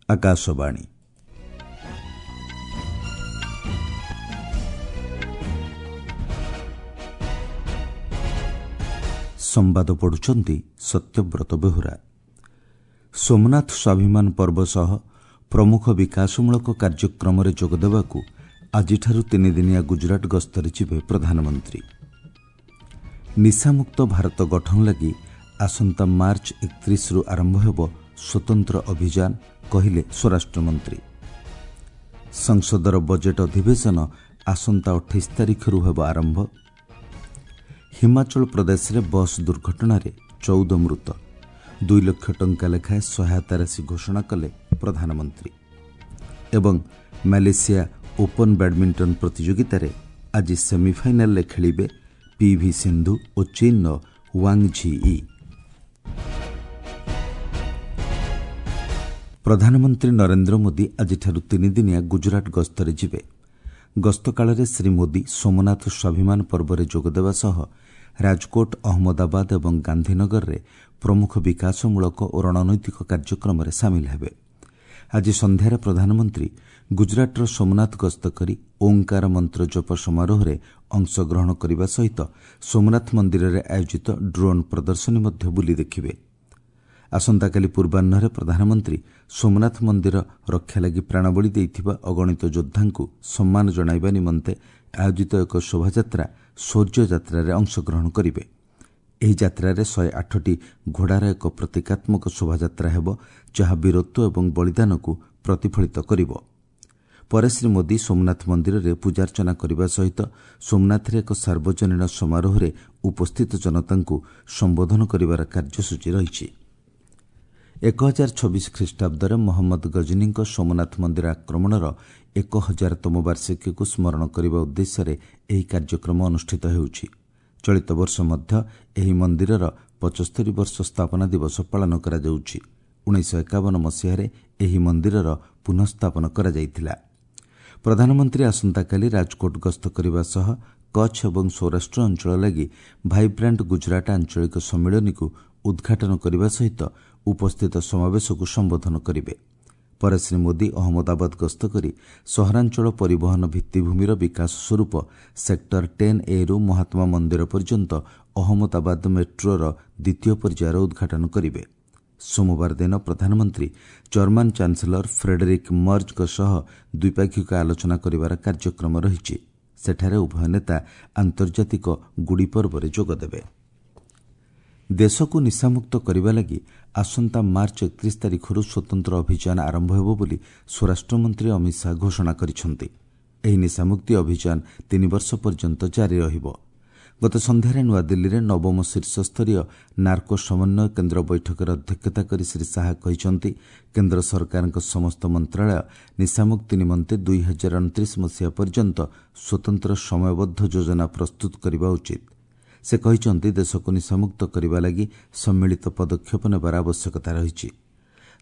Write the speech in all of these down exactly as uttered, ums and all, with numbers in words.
ଆକାଶବାଣୀ। ସମ୍ବାଦ ପଢୁଛନ୍ତି ସତ୍ୟବ୍ରତ ବେହୁରା। ସୋମନାଥ ସ୍ୱାଭିମାନ ପର୍ବ ସହ ପ୍ରମୁଖ ବିକାଶମୂଳକ କାର୍ଯ୍ୟକ୍ରମରେ ଯୋଗଦେବାକୁ ଆଜିଠାରୁ ତିନିଦିନିଆ ଗୁଜରାଟ ଗସ୍ତରେ ଯିବେ ପ୍ରଧାନମନ୍ତ୍ରୀ। ନିଶାମୁକ୍ତ ଭାରତ ଗଠନ ଲାଗି ଆସନ୍ତା ମାର୍ଚ୍ଚ ଏକତିରିଶରୁ ଆରମ୍ଭ ହେବ ସ୍ୱତନ୍ତ୍ର ଅଭିଯାନ, କହିଲେ ସ୍ୱରାଷ୍ଟ୍ରମନ୍ତ୍ରୀ। ସଂସଦର ବଜେଟ୍ ଅଧିବେଶନ ଆସନ୍ତା ଅଠେଇଶ ତାରିଖରୁ ହେବ ଆରମ୍ଭ। ହିମାଚଳ ପ୍ରଦେଶରେ ବସ୍ ଦୁର୍ଘଟଣାରେ ଚଉଦ ମୃତ, ଦୁଇ ଲକ୍ଷ ଟଙ୍କା ଲେଖାଏଁ ସହାୟତା ରାଶି ଘୋଷଣା କଲେ ପ୍ରଧାନମନ୍ତ୍ରୀ। ଏବଂ ମାଲେସିଆ ଓପନ୍ ବ୍ୟାଡ୍ମିଣ୍ଟନ ପ୍ରତିଯୋଗିତାରେ ଆଜି ସେମିଫାଇନାଲରେ ଖେଳିବେ ପିଭି ସିନ୍ଧୁ ଓ ଚୀନ୍ର ୱାଙ୍ଗ୍ ଝି ୟି। ପ୍ରଧାନମନ୍ତ୍ରୀ ନରେନ୍ଦ୍ର ମୋଦି ଆଜିଠାରୁ ତିନିଦିନିଆ ଗୁଜରାଟ ଗସ୍ତରେ ଯିବେ। ଗସ୍ତକାଳରେ ଶ୍ରୀ ମୋଦି ସୋମନାଥ ସ୍ୱାଭିମାନ ପର୍ବରେ ଯୋଗଦେବା ସହ ରାଜକୋଟ, ଅହମ୍ମଦାବାଦ ଏବଂ ଗାନ୍ଧୀନଗରରେ ପ୍ରମୁଖ ବିକାଶମୂଳକ ଓ ରଣନୈତିକ କାର୍ଯ୍ୟକ୍ରମରେ ସାମିଲ ହେବେ। ଆଜି ସନ୍ଧ୍ୟାରେ ପ୍ରଧାନମନ୍ତ୍ରୀ ଗୁଜରାଟର ସୋମନାଥ ଗସ୍ତ କରି ଓଁକାର ମନ୍ତ୍ର ଜପ ସମାରୋହରେ ଅଂଶଗ୍ରହଣ କରିବା ସହିତ ସୋମନାଥ ମନ୍ଦିରରେ ଆୟୋଜିତ ଡ୍ରୋନ୍ ପ୍ରଦର୍ଶନୀ ମଧ୍ୟ ବୁଲି ଦେଖିବେ। ଆସନ୍ତାକାଲି ପୂର୍ବାହ୍ନରେ ପ୍ରଧାନମନ୍ତ୍ରୀ ସୋମନାଥ ମନ୍ଦିର ରକ୍ଷା ଲାଗି ପ୍ରାଣବଳି ଦେଇଥିବା ଅଗଣିତ ଯୋଦ୍ଧାଙ୍କୁ ସମ୍ମାନ ଜଣାଇବା ନିମନ୍ତେ ଆୟୋଜିତ ଏକ ଶୋଭାଯାତ୍ରା ଶୌର୍ଯ୍ୟ ଯାତ୍ରାରେ ଅଂଶଗ୍ରହଣ କରିବେ। ଏହି ଯାତ୍ରାରେ ଶହେ ଆଠଟି ଘୋଡ଼ାର ଏକ ପ୍ରତୀକାତ୍ମକ ଶୋଭାଯାତ୍ରା ହେବ, ଯାହା ବୀରତ୍ୱ ଏବଂ ବଳିଦାନକୁ ପ୍ରତିଫଳିତ କରିବ। ପରେ ଶ୍ରୀ ମୋଦି ସୋମନାଥ ମନ୍ଦିରରେ ପୂଜାର୍ଚ୍ଚନା କରିବା ସହିତ ସୋମନାଥରେ ଏକ ସାର୍ବଜନୀନ ସମାରୋହରେ ଉପସ୍ଥିତ ଜନତାଙ୍କୁ ସମ୍ବୋଧନ କରିବାର କାର୍ଯ୍ୟସୂଚୀ ରହିଛି। ଏକ ହଜାର ଛବିଶ ଖ୍ରୀଷ୍ଟାବ୍ଦରେ ମହମ୍ମଦ ଗଜନୀଙ୍କ ସୋମନାଥ ମନ୍ଦିର ଆକ୍ରମଣର ଏକ ହଜାରତମ ବାର୍ଷିକୀକୁ ସ୍ମରଣ କରିବା ଉଦ୍ଦେଶ୍ୟରେ ଏହି କାର୍ଯ୍ୟକ୍ରମ ଅନୁଷ୍ଠିତ ହେଉଛି। ଚଳିତ ବର୍ଷ ମଧ୍ୟ ଏହି ମନ୍ଦିରର ପଞ୍ଚସ୍ତରୀ ବର୍ଷ ସ୍ଥାପନା ଦିବସ ପାଳନ କରାଯାଉଛି। ଉଣେଇଶହ ଏକାବନ ମସିହାରେ ଏହି ମନ୍ଦିରର ପୁନଃସ୍ଥାପନ କରାଯାଇଥିଲା। ପ୍ରଧାନମନ୍ତ୍ରୀ ଆସନ୍ତାକାଲି ରାଜକୋଟ ଗସ୍ତ କରିବା ସହ କଚ୍ଛ ଏବଂ ସୌରାଷ୍ଟ୍ର ଅଞ୍ଚଳ ଲାଗି ଭାଇବ୍ରାଣ୍ଟ ଗୁଜରାଟ ଆଞ୍ଚଳିକ ସମ୍ମିଳନୀକୁ ଉଦ୍ଘାଟନ କରିବା ସହିତ ଉପସ୍ଥିତ ସମାବେଶକୁ ସମ୍ବୋଧନ କରିବେ। ପରେ ଶ୍ରୀ ମୋଦି ଅହମ୍ମଦାବାଦ ଗସ୍ତ କରି ସହରାଞ୍ଚଳ ପରିବହନ ଭିତ୍ତିଭୂମିର ବିକାଶ ସ୍ୱରୂପ ସେକ୍ଟର ଟେନ୍ ଏରୁ ମହାତ୍ମା ମନ୍ଦିର ପର୍ଯ୍ୟନ୍ତ ଅହମ୍ମଦାବାଦ ମେଟ୍ରୋର ଦ୍ୱିତୀୟ ପର୍ଯ୍ୟାୟର ଉଦ୍ଘାଟନ କରିବେ। ସୋମବାର ଦିନ ପ୍ରଧାନମନ୍ତ୍ରୀ ଜର୍ମାନ ଚାନ୍ସେଲର ଫ୍ରେଡେରିକ୍ ମର୍ଜଙ୍କ ସହ ଦ୍ୱିପାକ୍ଷିକ ଆଲୋଚନା କରିବାର କାର୍ଯ୍ୟକ୍ରମ ରହିଛି। ସେଠାରେ ଉଭୟ ନେତା ଆନ୍ତର୍ଜାତିକ ଗୁଡ଼ି ପର୍ବରେ ଯୋଗଦେବେ। ଦେଶକୁ ନିଶାମୁକ୍ତ କରିବା ଲାଗି ଆସନ୍ତା ମାର୍ଚ୍ଚ ଏକତିରିଶ ତାରିଖରୁ ସ୍ୱତନ୍ତ୍ର ଅଭିଯାନ ଆରମ୍ଭ ହେବ ବୋଲି ସ୍ୱରାଷ୍ଟ୍ରମନ୍ତ୍ରୀ ଅମିତ ଶାହା ଘୋଷଣା କରିଛନ୍ତି। ଏହି ନିଶାମୁକ୍ତି ଅଭିଯାନ ତିନି ବର୍ଷ ପର୍ଯ୍ୟନ୍ତ ଜାରି ରହିବ। ଗତ ସନ୍ଧ୍ୟାରେ ନୂଆଦିଲ୍ଲୀରେ ନବମ ଶୀର୍ଷସ୍ତରୀୟ ନାର୍କୋ ସମନ୍ୱୟ କେନ୍ଦ୍ର ବୈଠକରେ ଅଧ୍ୟକ୍ଷତା କରି ଶ୍ରୀ ଶାହା କହିଛନ୍ତି, କେନ୍ଦ୍ର ସରକାରଙ୍କ ସମସ୍ତ ମନ୍ତ୍ରାଳୟ ନିଶାମୁକ୍ତି ନିମନ୍ତେ ଦୁଇ ହଜାର ଅଣତିରିଶ ମସିହା ପର୍ଯ୍ୟନ୍ତ ସ୍ୱତନ୍ତ୍ର ସମୟବଦ୍ଧ ଯୋଜନା ପ୍ରସ୍ତୁତ କରିବା ଉଚିତ। ସେ କହିଛନ୍ତି, ଦେଶକୁ ନିଶାମୁକ୍ତ କରିବା ଲାଗି ସମ୍ମିଳିତ ପଦକ୍ଷେପ ନେବାର ଆବଶ୍ୟକତା ରହିଛି।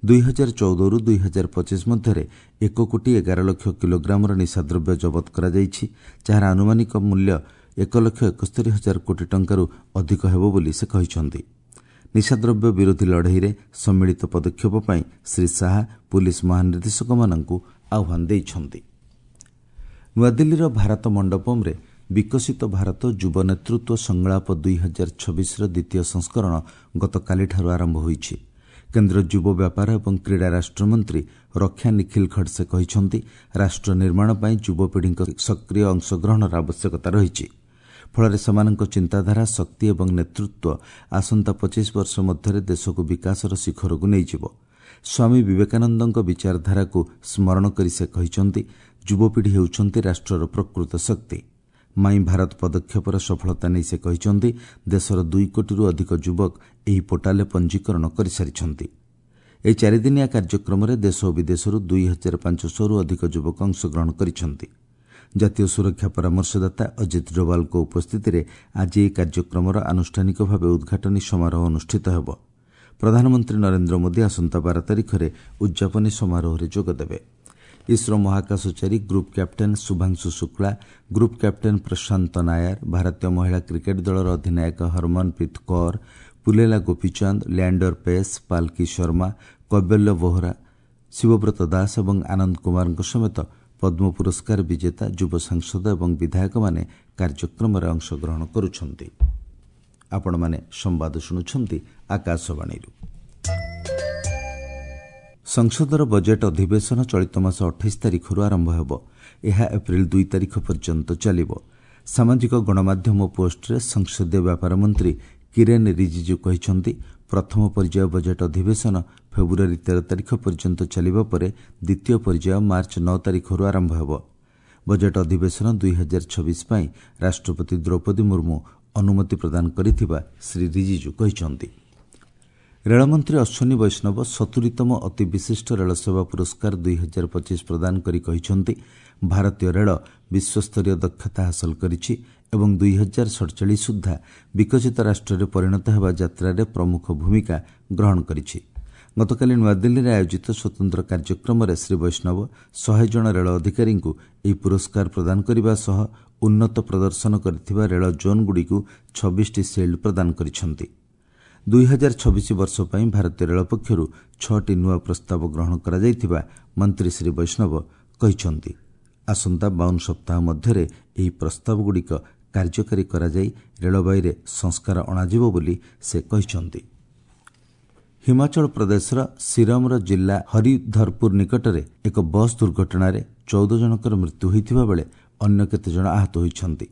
ଦୁଇ ହଜାର ଚଉଦରୁ ଦୁଇ ହଜାର ପଚିଶ ମଧ୍ୟରେ ଏକ କୋଟି ଏଗାର ଲକ୍ଷ କିଲୋଗ୍ରାମର ନିଶାଦ୍ରବ୍ୟ ଜବତ କରାଯାଇଛି, ଯାହାର ଆନୁମାନିକ ମୂଲ୍ୟ ଏକ ଲକ୍ଷ ଏକସ୍ତରୀ ହଜାର କୋଟି ଟଙ୍କାରୁ ଅଧିକ ହେବ ବୋଲି ସେ କହିଛନ୍ତି। ନିଶାଦ୍ରବ୍ୟ ବିରୋଧୀ ଲଢ଼େଇରେ ସମ୍ମିଳିତ ପଦକ୍ଷେପ ପାଇଁ ଶ୍ରୀ ଶାହା ପୁଲିସ୍ ମହାନିର୍ଦ୍ଦେଶକମାନଙ୍କୁ ଆହ୍ୱାନ ଦେଇଛନ୍ତି। ନୂଆଦିଲ୍ଲୀର ଭାରତ ମଣ୍ଡପମ୍ରେ ବିକଶିତ ଭାରତ ଯୁବ ନେତୃତ୍ୱ ସଂଳାପ ଦୁଇ ହଜାର ଛବିଶର ଦ୍ୱିତୀୟ ସଂସ୍କରଣ ଗତକାଲିଠାରୁ ଆରମ୍ଭ ହୋଇଛି। କେନ୍ଦ୍ର ଯୁବ ବ୍ୟାପାର ଏବଂ କ୍ରୀଡ଼ା ରାଷ୍ଟ୍ରମନ୍ତ୍ରୀ ରକ୍ଷା ନିଖିଲ ଖଡସେ କହିଛନ୍ତି, ରାଷ୍ଟ୍ର ନିର୍ମାଣ ପାଇଁ ଯୁବପିଢ଼ିଙ୍କ ସକ୍ରିୟ ଅଂଶଗ୍ରହଣର ଆବଶ୍ୟକତା ରହିଛି। ଫଳରେ ସେମାନଙ୍କ ଚିନ୍ତାଧାରା, ଶକ୍ତି ଏବଂ ନେତୃତ୍ୱ ଆସନ୍ତା ପଚିଶ ବର୍ଷ ମଧ୍ୟରେ ଦେଶକୁ ବିକାଶର ଶିଖରକୁ ନେଇଯିବ। ସ୍ୱାମୀ ବିବେକାନନ୍ଦଙ୍କ ବିଚାରଧାରାକୁ ସ୍ମରଣ କରି ସେ କହିଛନ୍ତି, ଯୁବପିଢ଼ି ହେଉଛନ୍ତି ରାଷ୍ଟ୍ରର ପ୍ରକୃତ ଶକ୍ତି। ମାଇ ଭାରତ ପଦକ୍ଷେପର ସଫଳତା ନେଇ ସେ କହିଛନ୍ତି, ଦେଶର ଦୁଇ କୋଟିରୁ ଅଧିକ ଯୁବକ ଏହି ପୋର୍ଟାଲରେ ପଞ୍ଜୀକରଣ କରିସାରିଛନ୍ତି। ଏହି ଚାରିଦିନିଆ କାର୍ଯ୍ୟକ୍ରମରେ ଦେଶ ଓ ବିଦେଶରୁ ଦୁଇ ହଜାର ପାଞ୍ଚଶହରୁ ଅଧିକ ଯୁବକ ଅଂଶଗ୍ରହଣ କରିଛନ୍ତି। ଜାତୀୟ ସୁରକ୍ଷା ପରାମର୍ଶଦାତା ଅଜିତ ଡୋଭାଲଙ୍କ ଉପସ୍ଥିତିରେ ଆଜି ଏହି କାର୍ଯ୍ୟକ୍ରମର ଆନୁଷ୍ଠାନିକ ଭାବେ ଉଦ୍ଘାଟନୀ ସମାରୋହ ଅନୁଷ୍ଠିତ ହେବ। ପ୍ରଧାନମନ୍ତ୍ରୀ ନରେନ୍ଦ୍ର ମୋଦି ଆସନ୍ତା ବାର ତାରିଖରେ ଉଦ୍ଯାପନୀ ସମାରୋହରେ ଯୋଗଦେବେ। ଇସ୍ରୋ ମହାକାଶଚାରୀ group captain Shubhanshu Shukla, group captain Prashant Nair, ଭାରତୀୟ ମହିଳା କ୍ରିକେଟ୍ ଦଳର ଅଧିନାୟକ ହରମନପ୍ରୀତ କୌର, ପୁଲେଲା ଗୋପୀଚାନ୍ଦ, ଲ୍ୟାଣ୍ଡର ପେସ୍, ପାଲକି ଶର୍ମା, କୈବଲ୍ୟ ବୋହରା, ଶିବବ୍ରତ ଦାସ ଏବଂ ଆନନ୍ଦ କୁମାରଙ୍କ ସମେତ ପଦ୍ମ ପୁରସ୍କାର ବିଜେତା, ଯୁବ ସାଂସଦ ଏବଂ ବିଧାୟକମାନେ କାର୍ଯ୍ୟକ୍ରମରେ ଅଂଶଗ୍ରହଣ କରୁଛନ୍ତି। ଆପଣମାନେ ସମ୍ବାଦ ଶୁଣୁଛନ୍ତି ଆକାଶବାଣୀରୁ। ସଂସଦର ବଜେଟ୍ ଅଧିବେଶନ ଚଳିତ ମାସ ଅଠାଇଶ ତାରିଖରୁ ଆରମ୍ଭ ହେବ। ଏହା ଏପ୍ରିଲ ଦୁଇ ତାରିଖ ପର୍ଯ୍ୟନ୍ତ ଚାଲିବ। ସାମାଜିକ ଗଣମାଧ୍ୟମ ପୋଷ୍ଟରେ ସଂସଦୀୟ ବ୍ୟାପାର ମନ୍ତ୍ରୀ କିରେନ୍ ରିଜିଜୁ କହିଛନ୍ତି, ପ୍ରଥମ ପର୍ଯ୍ୟାୟ ବଜେଟ୍ ଅଧିବେଶନ ଫେବୃଆରୀ ତେର ତାରିଖ ପର୍ଯ୍ୟନ୍ତ ଚାଲିବା ପରେ ଦ୍ୱିତୀୟ ପର୍ଯ୍ୟାୟ ମାର୍ଚ୍ଚ ନଅ ତାରିଖରୁ ଆରମ୍ଭ ହେବ। ବଜେଟ୍ ଅଧିବେଶନ ଦୁଇ ହଜାର ଛବିଶ ପାଇଁ ରାଷ୍ଟ୍ରପତି ଦ୍ରୌପଦୀ ମୁର୍ମୁ ଅନୁମତି ପ୍ରଦାନ କରିଥିବା ଶ୍ରୀ ରିଜିଜୁ କହିଛନ୍ତି। ରେଳମନ୍ତ୍ରୀ ଅଶ୍ୱିନୀ ବୈଷ୍ଣବ ସତୁରିତମ ଅତି ବିଶିଷ୍ଟ ରେଳସେବା ପୁରସ୍କାର ଦୁଇ ହଜାର ପଚିଶ ପ୍ରଦାନ କରି କହିଛନ୍ତି, ଭାରତୀୟ ରେଳ ବିଶ୍ୱସ୍ତରୀୟ ଦକ୍ଷତା ହାସଲ କରିଛି ଏବଂ ଦୁଇ ହଜାର ସଡ଼ଚାଳିଶ ସୁଦ୍ଧା ବିକଶିତ ରାଷ୍ଟ୍ରରେ ପରିଣତ ହେବା ଯାତ୍ରାରେ ପ୍ରମୁଖ ଭୂମିକା ଗ୍ରହଣ କରିଛି। ଗତକାଲି ନୂଆଦିଲ୍ଲୀରେ ଆୟୋଜିତ ସ୍ୱତନ୍ତ୍ର କାର୍ଯ୍ୟକ୍ରମରେ ଶ୍ରୀ ବୈଷ୍ଣବ ଶହେ ଜଣ ରେଳ ଅଧିକାରୀଙ୍କୁ ଏହି ପୁରସ୍କାର ପ୍ରଦାନ କରିବା ସହ ଉନ୍ନତ ପ୍ରଦର୍ଶନ କରିଥିବା ରେଳ ଜୋନ୍ଗୁଡ଼ିକୁ ଛବିଶଟି ସିଲ୍ଡ ପ୍ରଦାନ କରିଛନ୍ତି। ଦୁଇ ହଜାର ଛବିଶ ବର୍ଷ ପାଇଁ ଭାରତୀୟ ରେଳ ପକ୍ଷରୁ ଛଅଟି ନୂଆ ପ୍ରସ୍ତାବ ଗ୍ରହଣ କରାଯାଇଥିବା ମନ୍ତ୍ରୀ ଶ୍ରୀ ବୈଷ୍ଣବ କହିଛନ୍ତି। ଆସନ୍ତା ବାଉନ ସପ୍ତାହ ମଧ୍ୟରେ ଏହି ପ୍ରସ୍ତାବଗୁଡ଼ିକ କାର୍ଯ୍ୟକାରୀ କରାଯାଇ ରେଳବାଇରେ ସଂସ୍କାର ଅଣାଯିବ ବୋଲି ସେ କହିଛନ୍ତି। ହିମାଚଳ ପ୍ରଦେଶର ସିରମର ଜିଲ୍ଲା ହରିଧରପୁର ନିକଟରେ ଏକ ବସ୍ ଦୁର୍ଘଟଣାରେ ଚଉଦ ଜଣଙ୍କର ମୃତ୍ୟୁ ହୋଇଥିବା ବେଳେ ଅନ୍ୟ କେତେଜଣ ଆହତ ହୋଇଛନ୍ତି।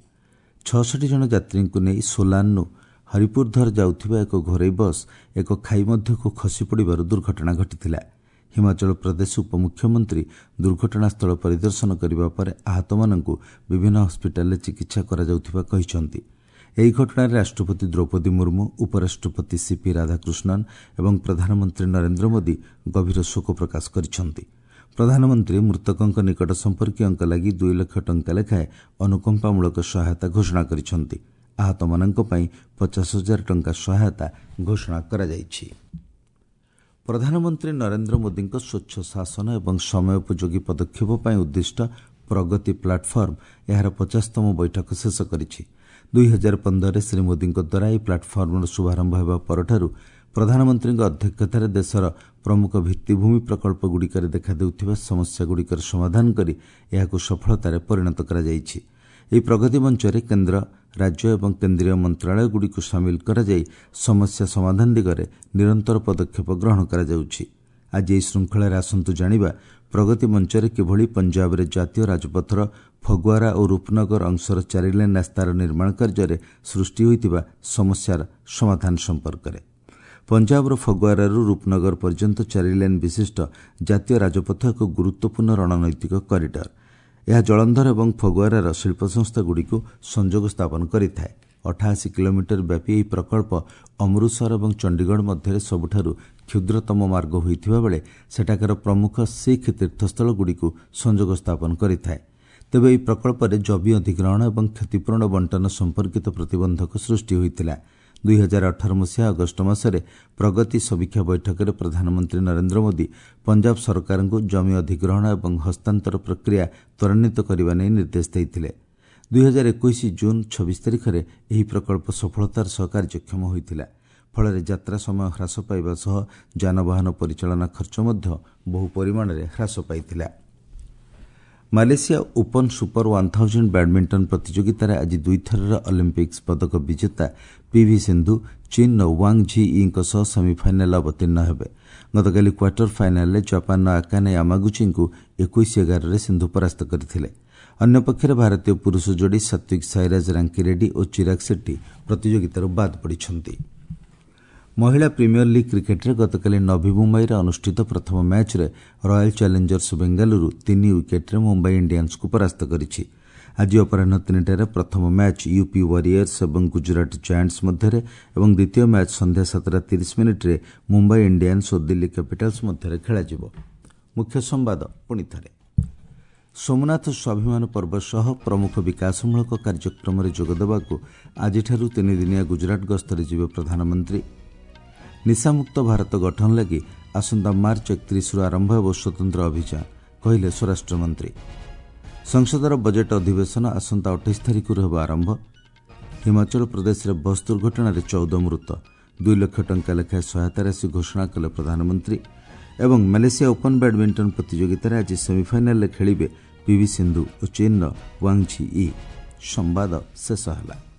ଛଅଷଠି ଜଣ ଯାତ୍ରୀଙ୍କୁ ନେଇ ସୋଲାନରୁ ହରିପୁରଧର ଯାଉଥିବା ଏକ ଘରୋଇ ବସ୍ ଏକ ଖାଇ ମଧ୍ୟକୁ ଖସି ପଡ଼ିବାରୁ ଦୁର୍ଘଟଣା ଘଟିଥିଲା। ହିମାଚଳ ପ୍ରଦେଶ ଉପମୁଖ୍ୟମନ୍ତ୍ରୀ ଦୁର୍ଘଟଣାସ୍ଥଳ ପରିଦର୍ଶନ କରିବା ପରେ ଆହତମାନଙ୍କୁ ବିଭିନ୍ନ ହସ୍ପିଟାଲରେ ଚିକିତ୍ସା କରାଯାଉଥିବା କହିଛନ୍ତି। ଏହି ଘଟଣାରେ ରାଷ୍ଟ୍ରପତି ଦ୍ରୌପଦୀ ମୁର୍ମୁ, ଉପରାଷ୍ଟ୍ରପତି ସିପି ରାଧାକୃଷ୍ଣନ୍ ଏବଂ ପ୍ରଧାନମନ୍ତ୍ରୀ ନରେନ୍ଦ୍ର ମୋଦି ଗଭୀର ଶୋକ ପ୍ରକାଶ କରିଛନ୍ତି। ପ୍ରଧାନମନ୍ତ୍ରୀ ମୃତକଙ୍କ ନିକଟ ସମ୍ପର୍କୀୟଙ୍କ ଲାଗି ଦୁଇ ଲକ୍ଷ ଟଙ୍କା ଲେଖାଏଁ ଅନୁକମ୍ପାମୂଳକ ସହାୟତା ଘୋଷଣା କରିଛନ୍ତି। ଆହତମାନଙ୍କ ପାଇଁ ପଚାଶ ହଜାର ଟଙ୍କା ସହାୟତା ଘୋଷଣା କରାଯାଇଛି। ପ୍ରଧାନମନ୍ତ୍ରୀ ନରେନ୍ଦ୍ର ମୋଦିଙ୍କ ସ୍ୱଚ୍ଛ ଶାସନ ଏବଂ ସମୟୋପଯୋଗୀ ପଦକ୍ଷେପ ପାଇଁ ଉଦ୍ଦିଷ୍ଟ ପ୍ରଗତି ପ୍ଲାଟଫର୍ମ ଏହାର ପଚାଶତମ ବୈଠକ ଶେଷ କରିଛି। ଦୁଇ ହଜାର ପନ୍ଦରରେ ଶ୍ରୀ ମୋଦିଙ୍କ ଦ୍ୱାରା ଏହି ପ୍ଲାଟଫର୍ମର ଶୁଭାରମ୍ଭ ହେବା ପରଠାରୁ ପ୍ରଧାନମନ୍ତ୍ରୀଙ୍କ ଅଧ୍ୟକ୍ଷତାରେ ଦେଶର ପ୍ରମୁଖ ଭିତ୍ତିଭୂମି ପ୍ରକଳ୍ପଗୁଡ଼ିକରେ ଦେଖାଦେଉଥିବା ସମସ୍ୟାଗୁଡ଼ିକର ସମାଧାନ କରି ଏହାକୁ ସଫଳତାରେ ପରିଣତ କରାଯାଇଛି। ଏହି ପ୍ରଗତି ମଞ୍ଚରେ କେନ୍ଦ୍ର, ରାଜ୍ୟ ଏବଂ କେନ୍ଦ୍ରୀୟ ମନ୍ତ୍ରଣାଳୟଗୁଡ଼ିକୁ ସାମିଲ କରାଯାଇ ସମସ୍ୟା ସମାଧାନ ଦିଗରେ ନିରନ୍ତର ପଦକ୍ଷେପ ଗ୍ରହଣ କରାଯାଉଛି। ଆଜି ଏହି ଶୃଙ୍ଖଳାରେ ଆସନ୍ତୁ ଜାଣିବା ପ୍ରଗତି ମଞ୍ଚରେ କିଭଳି ପଞ୍ଜାବରେ ଜାତୀୟ ରାଜପଥର ଫଗୁଆରା ଓ ରୂପନଗର ଅଂଶର ଚାରିଲେନ୍ ରାସ୍ତାର ନିର୍ମାଣ କାର୍ଯ୍ୟରେ ସୃଷ୍ଟି ହୋଇଥିବା ସମସ୍ୟାର ସମାଧାନ ସମ୍ପର୍କରେ। ପଞ୍ଜାବର ଫଗୁଆରାରୁ ରୂପନଗର ପର୍ଯ୍ୟନ୍ତ ଚାରିଲେନ୍ ବିଶିଷ୍ଟ ଜାତୀୟ ରାଜପଥ ଏକ ଗୁରୁତ୍ୱପୂର୍ଣ୍ଣ ରଣନୈତିକ କରିଡର। ଏହା ଜଳନ୍ଧର ଏବଂ ଫଗୁଆରାର ଶିଳ୍ପସଂସ୍ଥାଗୁଡ଼ିକୁ ସଂଯୋଗ ସ୍ଥାପନ କରିଥାଏ। ଅଠାଅଶୀ କିଲୋମିଟର ବ୍ୟାପୀ ଏହି ପ୍ରକଳ୍ପ ଅମୃତସର ଏବଂ ଚଣ୍ଡିଗଡ଼ ମଧ୍ୟରେ ସବୁଠାରୁ କ୍ଷୁଦ୍ରତମ ମାର୍ଗ ହୋଇଥିବା ବେଳେ ସେଠାକାର ପ୍ରମୁଖ ଶିଖ୍ ତୀର୍ଥସ୍ଥଳଗୁଡ଼ିକୁ ସଂଯୋଗ ସ୍ଥାପନ କରିଥାଏ। ତେବେ ଏହି ପ୍ରକଳ୍ପରେ ଜମି ଅଧିଗ୍ରହଣ ଏବଂ କ୍ଷତିପୂରଣ ବଣ୍ଟନ ସମ୍ପର୍କିତ ପ୍ରତିବନ୍ଧକ ସୃଷ୍ଟି ହୋଇଥିଲା। ଦୁଇ ହଜାର ଅଠର ମସିହା ଅଗଷ୍ଟ ମାସରେ ପ୍ରଗତି ସମୀକ୍ଷା ବୈଠକରେ ପ୍ରଧାନମନ୍ତ୍ରୀ ନରେନ୍ଦ୍ର ମୋଦି ପଞ୍ଜାବ ସରକାରଙ୍କୁ ଜମି ଅଧିଗ୍ରହଣ ଏବଂ ହସ୍ତାନ୍ତର ପ୍ରକ୍ରିୟା ତ୍ୱରାନ୍ୱିତ କରିବା ନେଇ ନିର୍ଦ୍ଦେଶ ଦେଇଥିଲେ। ଦୁଇ ହଜାର ଏକୋଇଶ ଜୁନ୍ ଛବିଶ ତାରିଖରେ ଏହି ପ୍ରକଳ୍ପ ସଫଳତାର ସହ କାର୍ଯ୍ୟକ୍ଷମ ହୋଇଥିଲା। ଫଳରେ ଯାତ୍ରା ସମୟ ହ୍ରାସ ପାଇବା ସହ ଯାନବାହନ ପରିଚାଳନା ଖର୍ଚ୍ଚ ମଧ୍ୟ ବହୁ ପରିମାଣରେ ହ୍ରାସ ପାଇଥିଲା। Malaysia open super one thousand badminton ପ୍ରତିଯୋଗିତାରେ ଆଜି ଦୁଇଥରର ଅଲିମ୍ପିକ୍ସ ପଦକ ବିଜେତା ପିଭି ସିନ୍ଧୁ ଚୀନ୍ର ୱାଙ୍ଗ୍ ଝି ୟିଙ୍କ ସହ ସେମିଫାଇନାଲ୍ରେ ଅବତୀର୍ଣ୍ଣ ହେବେ। ଗତକାଲି କ୍ୱାର୍ଟର ଫାଇନାଲ୍ରେ ଜାପାନର ଆକାନେ ୟାମାଗୁଚିଙ୍କୁ ଏକୋଇଶ ଏଗାରରେ ସିନ୍ଧୁ ପରାସ୍ତ କରିଥିଲେ। ଅନ୍ୟପକ୍ଷରେ ଭାରତୀୟ ପୁରୁଷ ଯୋଡ଼ି ସାତ୍ୱିକ ସାଇରାଜ ରାଙ୍କିରେଡ୍ଡି ଓ ଚିରାଗ ସେଟ୍ଟି ପ୍ରତିଯୋଗିତାରୁ ବାଦ୍ ପଡ଼ିଛନ୍ତି। ମହିଳା ପ୍ରିମିୟର ଲିଗ୍ କ୍ରିକେଟ୍ରେ ଗତକାଲି ନଭି ମୁମ୍ବାଇରେ ଅନୁଷ୍ଠିତ ପ୍ରଥମ ମ୍ୟାଚ୍ରେ ରୟାଲ ଚ୍ୟାଲେଞ୍ଜର୍ସ ବେଙ୍ଗାଲୁରୁ ତିନି ୱିକେଟ୍ରେ ମୁମ୍ବାଇ ଇଣ୍ଡିଆନ୍ସକୁ ପରାସ୍ତ କରିଛି। ଆଜି ଅପରାହ୍ନ ତିନିଟାରେ ପ୍ରଥମ ମ୍ୟାଚ୍ ୟୁପି ୱାରିୟର୍ସ ଏବଂ ଗୁଜରାଟ ଜାଏଣ୍ଟସ୍ ମଧ୍ୟରେ ଏବଂ ଦ୍ୱିତୀୟ ମ୍ୟାଚ୍ ସନ୍ଧ୍ୟା ସାତଟା ତିରିଶ ମିନିଟ୍ରେ ମୁମ୍ବାଇ ଇଣ୍ଡିଆନ୍ସ ଓ ଦିଲ୍ଲୀ କ୍ୟାପିଟାଲ୍ସ ମଧ୍ୟରେ ଖେଳାଯିବ। ମୁଖ୍ୟ ସମ୍ବାଦ ପୁଣି ଥରେ। ସୋମନାଥ ସ୍ୱାଭିମାନ ପର୍ବ ସହ ପ୍ରମୁଖ ବିକାଶମୂଳକ କାର୍ଯ୍ୟକ୍ରମରେ ଯୋଗଦେବାକୁ ଆଜିଠାରୁ ତିନିଦିନିଆ ଗୁଜରାଟ ଗସ୍ତରେ ଯିବେ ପ୍ରଧାନମନ୍ତ୍ରୀ। ନିଶାମୁକ୍ତ ଭାରତ ଗଠନ ଲାଗି ଆସନ୍ତା ମାର୍ଚ୍ଚ ଏକତିରିଶରୁ ଆରମ୍ଭ ହେବ ସ୍ୱତନ୍ତ୍ର ଅଭିଯାନ, କହିଲେ ସ୍ୱରାଷ୍ଟ୍ରମନ୍ତ୍ରୀ। ସଂସଦର ବଜେଟ୍ ଅଧିବେଶନ ଆସନ୍ତା ଅଠେଇଶ ତାରିଖରୁ ହେବ ଆରମ୍ଭ। ହିମାଚଳ ପ୍ରଦେଶରେ ବସ୍ ଦୁର୍ଘଟଣାରେ ଚଉଦ ମୃତ, ଦୁଇ ଲକ୍ଷ ଟଙ୍କା ଲେଖାଏଁ ସହାୟତା ରାଶି ଘୋଷଣା କଲେ ପ୍ରଧାନମନ୍ତ୍ରୀ। ଏବଂ ମାଲେସିଆ ଓପନ୍ ବ୍ୟାଡ୍ମିଣ୍ଟନ ପ୍ରତିଯୋଗିତାରେ ଆଜି ସେମିଫାଇନାଲ୍ରେ ଖେଳିବେ ପିଭି ସିନ୍ଧୁ ଓ ଚୀନ୍ର ୱାଙ୍ଗ୍ ଝି ଇ। ସମ୍ବାଦ ଶେଷ ହେଲା।